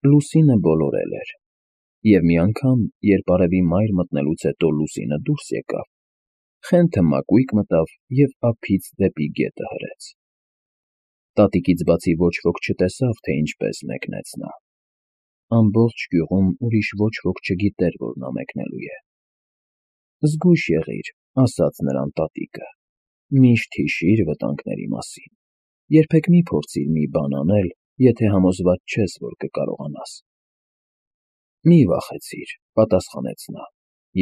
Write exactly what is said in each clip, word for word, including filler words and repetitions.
Լուսինը բոլորել էր, և մի անգամ, երբ արևի մայր մտնելուց հետո լուսինը դուրս եկավ, Խենթը մակույկ մտավ և ափից դեպի գետը հրեց. տատիկից բացի ոչ ոք չտեսավ, թե ինչպես մեկնեց նա. ամբողջ գյուղում ուրիշ ոչ ոք չգիտեր, որ նա մեկնելու է։ «Զգույշ եղիր,» ասաց նրան տատիկը, «միշտ հիշիր վտանգների մասին, երբեք մի փորձիր մի բան անել, եթե համոզված չես, որ կկարողանաս»։ «Մի վախեցիր,» պատասխանեց նա,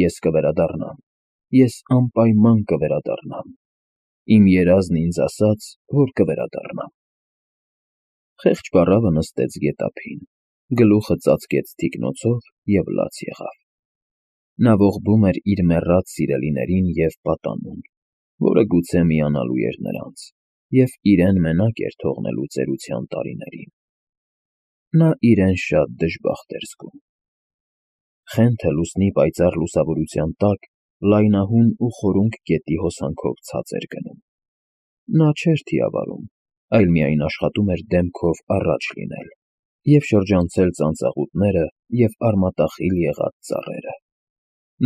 «ես կվերադառնամ, ես անպայման կվերադառնամ, իմ երազն ինձ ասաց, որ կվերադառնամ»։ Խեղճ պառավը նստեց գետափին, գլուխը ծածկեց թիկնոցով և լաց եղավ։ Նա ողբում էր իր մեռած սիրելիներին և պատանում, որը գուցե միանալու էր նրանց, և իրեն մենակ էր թողնելու ծերության տարիներին։ Նա իրեն շատ դժբախտ էր զգում։ Խենթը լուսնի պայծառ լուսավորության տակ լայնահուն ու խորունկ գետի հոսանքով ցած էր գնում։ Նա չէր թիավարում, այլ միայն աշխատում էր դեմքով առաջ լինել և շրջանցել ծանծաղուտները և արմատախիլ եղած ծառերը։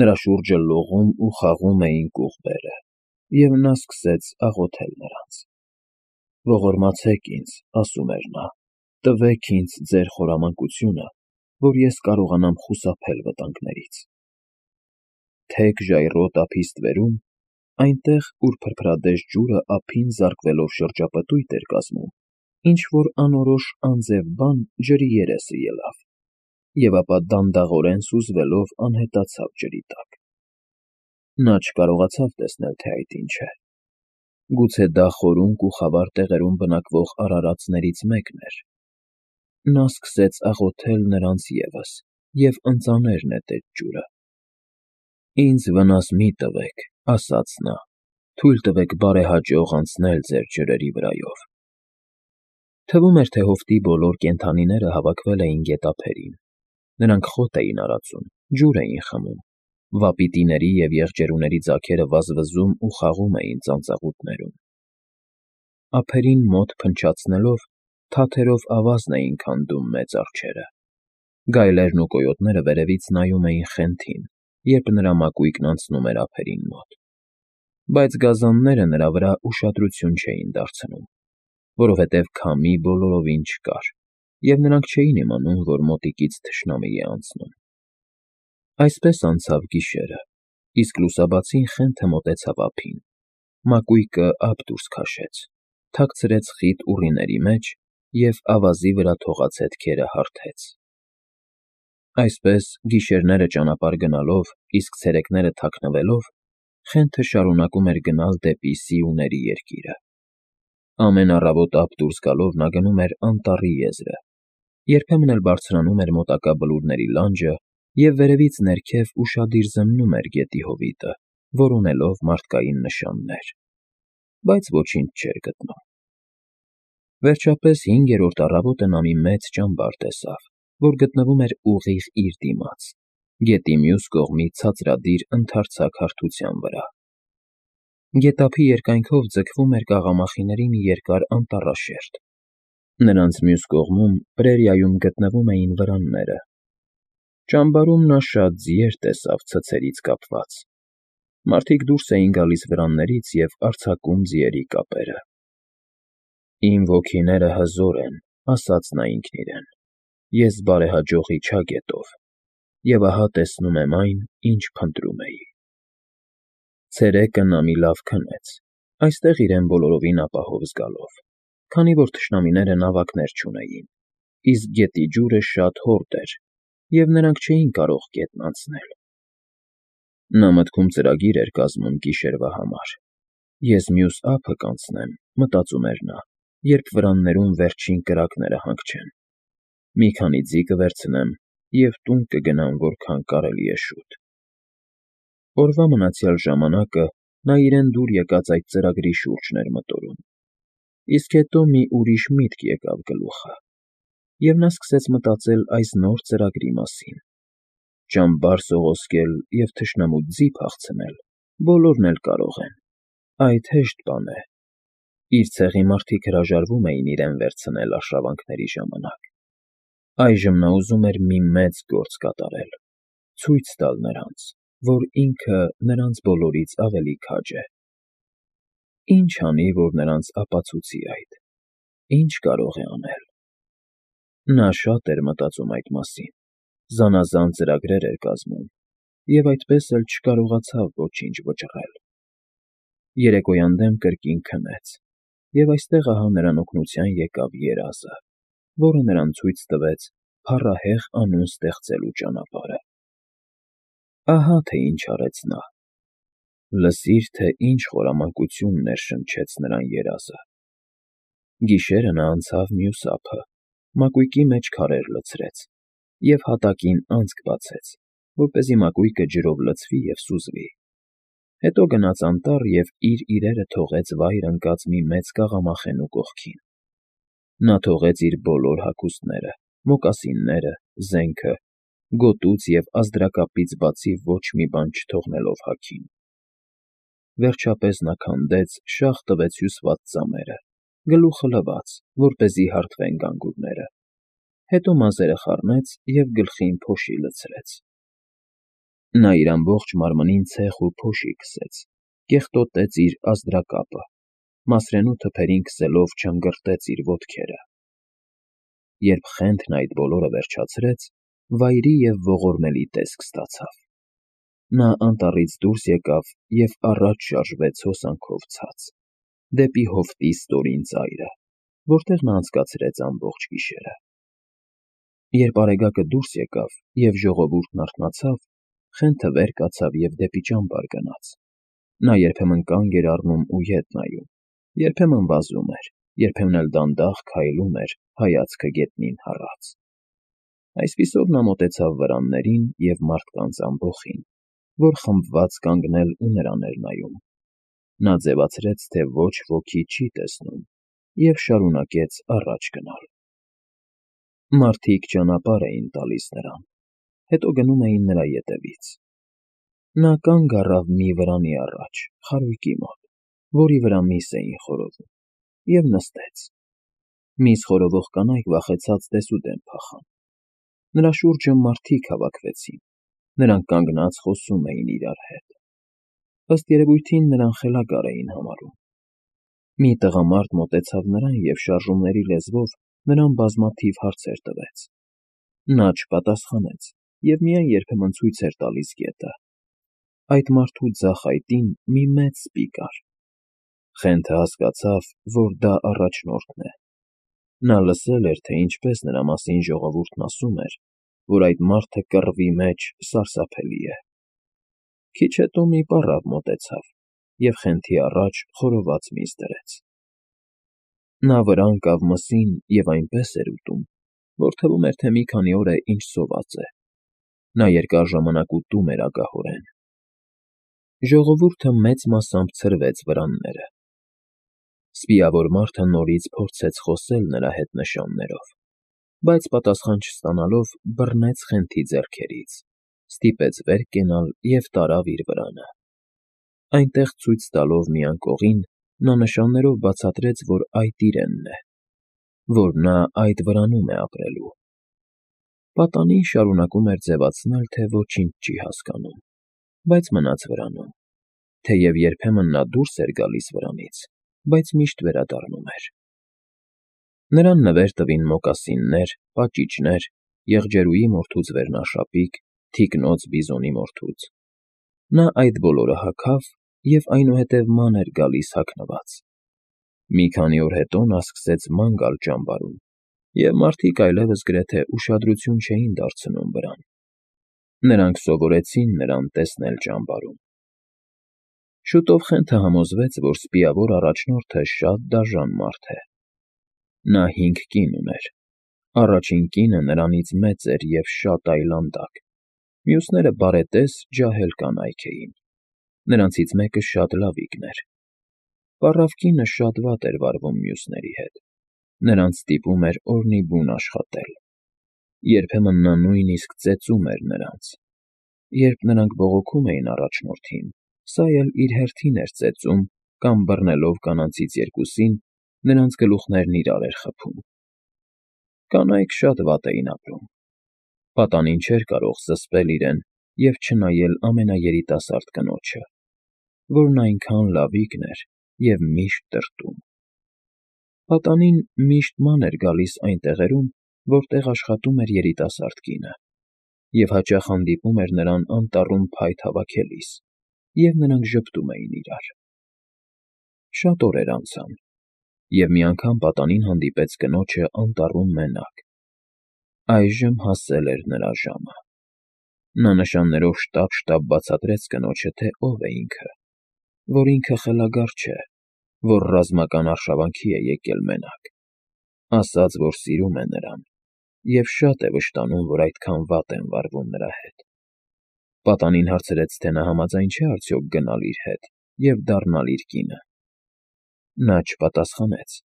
Նրա շուրջը լողում ու խաղում էին կուղբերը, և նա սկսեց աղոթել նրանց. «Ողորմացեք ինձ,» ասում էր նա, «տվեք ինձ ձեր խորամանկությունը, որ ես կարողանամ խուսափել վտանգներից»։ Թեք ժայռոտ ափի ստվերում, այնտեղ, ուր փրփրադես ջուրը ափին զարկվելով շրջապտույտ էր կազմում, ինչ֊որ անորոշ անձև բան ջրի երեսը ելավ, և ապա դանդաղորեն սուզվելով անհետացավ ջրի տակ։ Նա չկարողացավ տեսնել, թե այդ ինչ է։ Գուցե դա խորունկ ու խավար տեղերում բնակվող արարածներից մեկն էր։ Նա սկսեց աղոթել նրանց ևս և ընծաներ նետեց ջուրը։ «Ինձ վնաս մի տվեք,» ասաց նա, «թույլ տվեք բարեհաջող անցնել ձեր ջրերի վրայով»։ Թվում էր, թե հովտի բոլոր կենդանիները հավաքվել էին գետափերին։ Նրանք խոտ էին արածում, ջուր էին խմում, վապիտիների և եղջերուների ձագերը վազվզում ու խաղում էին ծանծաղուտներում։ Ափերին մոտ փնչացնելով, թաթերով ավազն էին քանդում մեծ արջերը։ Գայլերն ու կոյոտները վերևից նայում էին Խենթին, երբ նրա մակույկն անցնում էր ափերին մոտ։ Բայց գազանները նրա վրա ուշադրություն չէին դարձնում, որովհետև քամի բոլորովին չկար, և նրանք չէին իմանում, որ մոտիկից թշնամի է անցնում։ Այսպես անցավ գիշերը, իսկ լուսաբացին Խենթը մոտեցավ ափին, մակույկը ափ դուրս քաշեց, թաքցրեց խիտ ուռիների մեջ և ավազի վրա թողած հետքերը հարթեց։ Այսպես, գիշերները ճանապարհ գնալով, իսկ ցերեկները թաքնվելով, Խենթը շարունակում էր գնալ դեպի Սիուների երկիրը։ Ամեն առավոտ ափ դուրս գալով նա գնում էր անտառի եզրը, երբեմն էլ բարձրանում էր մոտակա բլուրների լանջը և վերևից ներքև ուշադիր զննում էր գետի հովիտը, որոնելով մարդկային նշաններ։ Բայց ոչինչ չէր գտնում։ Վերջապես հինգերորդ առավոտը նա մի մեծ ճամբար տեսավ, որ գտնվում էր ուղիղ իր դիմաց, գետի մյուս կողմի ցածրադիր ընդարձակ հարթության վրա։ Գետափի երկայնքով ձգվում էր կաղամախիների մի երկար անտառաշերտ։ Նրանց մյուս կողմում պրերիայում գտնվում էին վրանները։ Ճամբարում նա շատ ձիեր տեսավ ցցերից կապված։ Մարդիկ դուրս էին գալիս վրաններից և արձակում ձիերի կապերը։ «Իմ ոգիները հզոր են,» ասաց նա ինքն իրեն, «ես բարեհաջող իջա գետով, և ահա տեսնում եմ այն, ինչ փնտրում էի»։ Ցերեկը նա մի լավ քնեց, այստեղ իրեն բոլորովին ապահով զգալով, քանի որ թշնամիները նավակներ չունեին, իսկ գետի ջուրը շատ հորդ էր, և նրանք չէին կարող գետն անցնել։ Նա մտքում ծրագիր էր կազմում գիշերվա համար։ «Ես մյուս ափը կանցնեմ,» մտածում էր նա, «երբ վրաններում վերջին կրակները հանգչեն։ Մի քանի ձի կվերցնեմ և տուն կգնամ որքան կարելի է շուտ»։ Օրվա մնացյալ ժամանակը նա իրեն դուր եկած այդ ծրագրի շուրջն էր մտորում, իսկ հետո մի ուրիշ միտք եկավ գլուխը, և նա սկսեց մտածել այս նոր ծրագրի մասին։ Ճամբար սողոսկել և թշնամուց ձի փախցնել բոլորն էլ կարող են, այդ հեշտ բան է։ Իր ցեղի մարդիկ հրաժարվում էին իրեն վերցնել արշավանքների ժամանակ։ Այժմ նա ուզում էր մի մեծ գործ կատարել, ցույց տալ նրանց, որ ինքը նրանց բոլորից ավելի քաջ է։ Ի՞նչ անի, որ նրանց ապացուցի այդ, ի՞նչ կարող է անել։ Նա շատ էր մտածում այդ մասին, զանազան ծրագրեր էր կազմում և այդպես էլ չկարողացավ ոչինչ վճռել։ Երեկոյան դեմ կրկին քնեց, և այստեղ ահա նրան օգնության եկավ երազը, որը նրան ցույց տվեց փառահեղ անուն ստեղծելու ճանապարհը։ Ահա թե ինչ արեց նա. լսիր, թե ինչ խորամանկություն ներշնչեց նրան երազը։ Գիշերը նա անցավ մյուս ափը, մակույկի մեջ քարեր լցրեց և հատակին անցք բացեց, որպեսզի մակույկը ջրով լցվի և սուզվի։ Հետո գնաց անտառ և իր իրերը թողեց վայր ընկած մի մեծ կաղամախենու կողքին։ Նա թողեց իր բոլոր հագուստները, մոկասինները, զենքը, գոտուց և ազդրակապից բացի ոչ մի բան չթողնելով հագին։ Վերջապես նա քանդեց շաղ տվեց հյուսված ծամերը, գլուխը լվաց, որպեսզի հարթվեն գանգուրները, հետո մազերը խառնեց և գլխին փոշի լցրեց։ Նա իր ամբողջ մարմնին ցեխ ու փոշի քսեց, կեղտոտեց իր ազդրակապը, մասրենու թփերին քսելով չնգրտեց իր ոտքերը։ Երբ Խենթն այդ բոլորը վերջացրեց, վայրի և ողորմելի տեսք ստացավ։ Նա անտառից դուրս եկավ և առաջ շարժվեց հոսանքով ցած, դեպի հովտի ստորին ծայրը, որտեղ նա անցկացրեց ամբողջ գիշերը։ Երբ արեգակը դուրս եկավ և ժողովուրդն արթնացավ, Խենթը վեր կացավ և դեպի ճամբար գնաց։ Նա երբեմն կանգ էր առնում ու ետ նայում, երբեմն վազում էր, երբեմն էլ դանդաղ քայլում էր, հայացքը գետնին հառած։ Այսպիսով նա մոտեցավ վրաններին և մարդկանց ամբոխին, որ խմբված կանգնել ու նրան էր նայում։ Նա ձևացրեց, թե ոչ ոքի չի տեսնում և շարունակեց առաջ գնալ։ Մարդիկ ճանապարհ էին տալիս նրան, հետո գնում էին նրա ետևից։ Նա կանգ առավ մի վրանի առաջ, խարույկի մոտ, որի վրա միս էին խորովում, և նստեց։ Միս խորովող կանայք վախեցած դեսուդեն փախան։ Նրա շուրջը մարդիկ հավաքվեցին, նրանք կանգնած խոսում էին իրար հետ։ Ըստ երևույթին նրան խելագար էին համարում։ Մի տղամարդ մոտեցավ նրան և շարժումների լեզվով նրան բազմաթիվ հարցեր տվեց։ Նա չպատասխանեց և միայն երբեմն ցույց էր տալիս գետը։ Այդ մարդու ձախ այտին մի մեծ սպի կար։ Խենթը հասկացավ, որ դա առաջնորդն է։ Նա լսել էր, թե ինչպես նրա մասին ժողովուրդն ասում էր, որ այդ մարդը կռվի մեջ սարսափելի է։ Քիչ հետո մի պառավ մոտեցավ և Խենթի առաջ խորոված միս դրեց։ Նա վրան կավ մսին և այնպես էր ուտում, որ թվում էր, թե մի քանի օր է ինչ սոված է։ Նա երկար ժամանակ ուտում էր ագահորեն։ Ժողովուրդը մեծ մասամբ ցրվեց վրանները։ Սպիավոր մարդը նորից փորձեց խոսել նրա հետ նշաններով, բայց պատասխան չստանալով բռնեց Խենթի ձեռքերից, ստիպեց վեր կենալ և տարավ իր վրանը։ Այնտեղ ցույց տալով մի անկողին, նա նշաններով բացատրեց, որ այդ իրենն է, որ նա այդ վրանում է ապրելու։ Պատանին շարունակում էր ձևացնել, թե ոչինչ չի հասկանում, բայց մնաց վրանում, թեև երբեմն նա դուրս էր գալիս վրանից, բայց միշտ վերադառնում էր։ Նրան նվեր տվին մոկասիններ, պաճիճներ, եղջերուի մորթուց վերնաշապիկ, թիկնոց բիզոնի մորթուց։ Նա այդ բոլորը հագավ և այնուհետև ման էր գալիս հագնված։ Մի քանի օր հետո նա սկսեց ման գալ ճամբարում, և մարդիկ այլևս գրեթե ուշադրություն չէին դարձնում վրան։ Նրանք սովորեցին նրան տեսնել ճամբարում։ Շուտով Խենթը համոզվեց, որ սպիավոր առաջնորդը շատ դաժան մարդ է։ Նա հինգ կին ուներ։ Առաջին կինը նրանից մեծ էր և շատ այլանդակ, մյուսները բարետես, ջահել կանայք էին։ Նրանցից մեկը շատ լավիկն էր։ Պառավ կինը շատ վատ էր վարվում մյուսների հետ, նրանց ստիպում էր օրնիբուն աշխատել։ Երբեմն նա նույնիսկ ծեծում էր նրանց։ Երբ նրանք բողոքում էին առաջնորդին, սա էլ իր հերթին էր ծեծում կամ բռնելով կանանցից երկուսին, նրանց գլուխներն իրար էր խփում։ Կանայք շատ վատ էին ապրում։ Պատանին չէր կարող զսպել իրեն և չնայել ամենաերիտասարդ կնոջը, որն այնքան լավիկն էր և միշտ տրտում։ Պատանին միշտ ման էր գալիս այն տեղերում, որտեղ աշխատում էր երիտասարդ կինը, և հաճախ հանդիպում էր նրան անտառում փայտ հավաքելիս, և նրանք ժպտում էին իրար։ Շատ օրեր անցան, և մի անգամ պատանին հանդիպեց կնոջը անտառում մենակ։ Այժմ հասել էր նրա ժամը։ Նա նշաններով շտապ֊շտապ բացատրեց կնոջը, թե ով է ինքը, որ ինքը խելագար չէ, որ ռազմական արշավանքի է եկել մենակ, ասաց, որ սիրում է նրան և շատ է վշտանում, որ այդքան վատ են վարվում նրա հետ։ Պատանին հարցրեց, թե նա համաձայն չէ արդյոք գնալ իր հետ և դառնալ իր կինը։ Նա չպատասխանեց,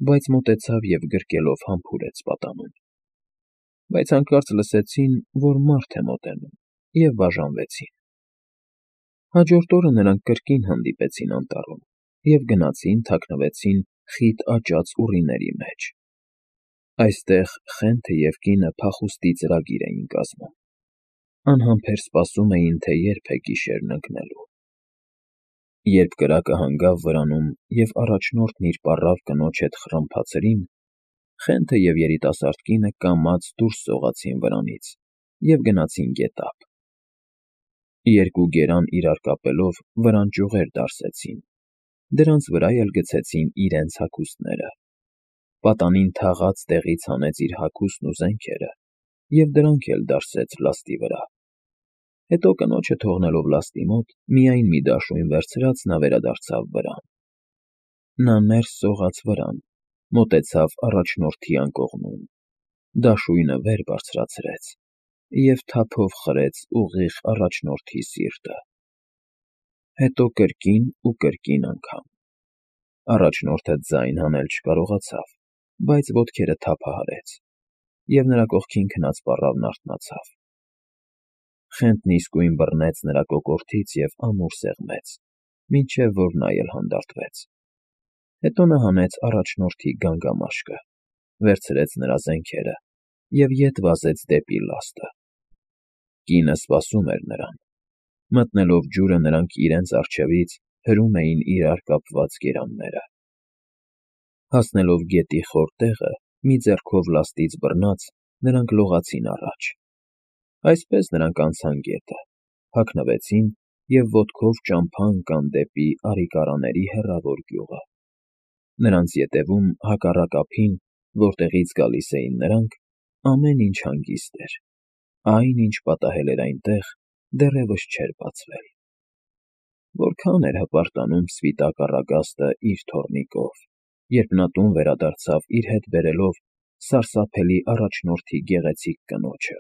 բայց մոտեցավ և գրկելով համբուրեց պատանուն։ Բայց հանկարծ լսեցին, որ մարդ է մոտենում, և բաժանվեցին։ Հաջորդ օրը նրանք կրկին հանդիպեցին անտառում և գնացին թաքնվեցին խիտ աճած ուռիների մեջ։ Այստեղ Խենթը և կինը փախուստի ծրագիր էին կազմում։ Անհամբեր սպասում էին, թե երբ է գիշերն ընկնելու։ Երբ կրակը հանգավ վրանում և առաջնորդն իր պառավ կնոջ հետ խռմփա ցրին, Խենթը և երիտասարդ կինը կամաց դուրս սողացին վրանից և գնացին գետափ։ Երկու գերան իրար կապելով վրան ճյուղեր դարսեցին, դրանց վրա էլ գցեցին իրենց հագուստները։ Պատանին թաղած տեղից հանեց իր հագուստն ու զենքերը և դրանք էլ դարսեց լաստի վրա։ Հետո կնոջը թողնելով լաստի մոտ, միայն մի դաշույն վերցրած նա վերադարձավ վրան։ Նա ներս սողաց վրան, մոտեցավ առաջնորդի անկողնում, դաշույնը վեր բարձրացրեց և թափով խրեց ուղիղ առաջնորդի սիրտը։ Հետո կրկին ու կրկին անգամ։ Առաջնորդը ձայն հանել չկարողացավ, բայց ոտքերը թափահարեց, և նրա կողքին քնած պառավն արթնացավ։ Խենթն իսկույն բռնեց նրա կոկորդից և ամուր սեղմեց, մինչև որ նա էլ հանդարտվեց։ Հետո նա հանեց առաջնորդի գանգամաշկը, վերցրեց նրա զենքերը և ետ վազեց դեպի լաստը։ Կինը սպասում էր նրան։ Մտնելով ջուրը, նրանք իրենց առջևից հրում էին իրար կապված գերանները։ Հասնելով գետի խոր տեղը, մի ձեռքով լաստից բռնած, նրանք լողացին առաջ։ Այսպես նրանք անցան գետը, հագնվեցին և ոտքով ճամփա ընկան դեպի Արիկարաների հեռավոր գյուղը։ Նրանց ետևում, հակառակ ափին, որտեղից գալիս էին նրանք, ամեն ինչ հանգիստ էր։ Այն, ինչ պատահել էր այնտեղ, դեռևս չէր բացվել։ Որքա՜ն էր հպարտանում սպիտակ առագաստը իր թոռնիկով, երբ նա տուն վերադարձավ իր հետ բերելով սարսափելի առաջնորդի գեղեցիկ կնոջը,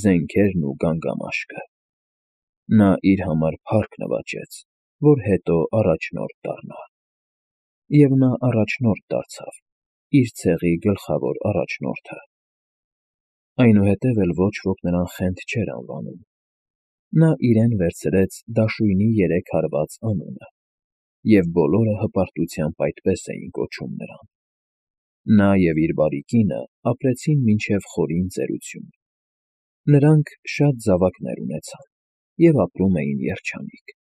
զենքերն ու գանգամաշկը։ Նա իր համար փառք նվաճեց, որ հետո առաջնորդ դառնա։ Եվ նա առաջնորդ դարձավ, իր ցեղի գլխավոր առաջնորդը։ Այնուհետև էլ ոչ ոք նրան Խենթ չէր անվանում։ Նա իրեն վերցրեց դաշույնի երեք հարված անունը, և բոլորը հպարտությամբ այդպես էին կոչում նրան։ Նա և իր բարի կինը ապրեցին մինչև խորին ծերություն։ Նրանք շատ զավակներ ունեցան և ապրում էին երջանիկ։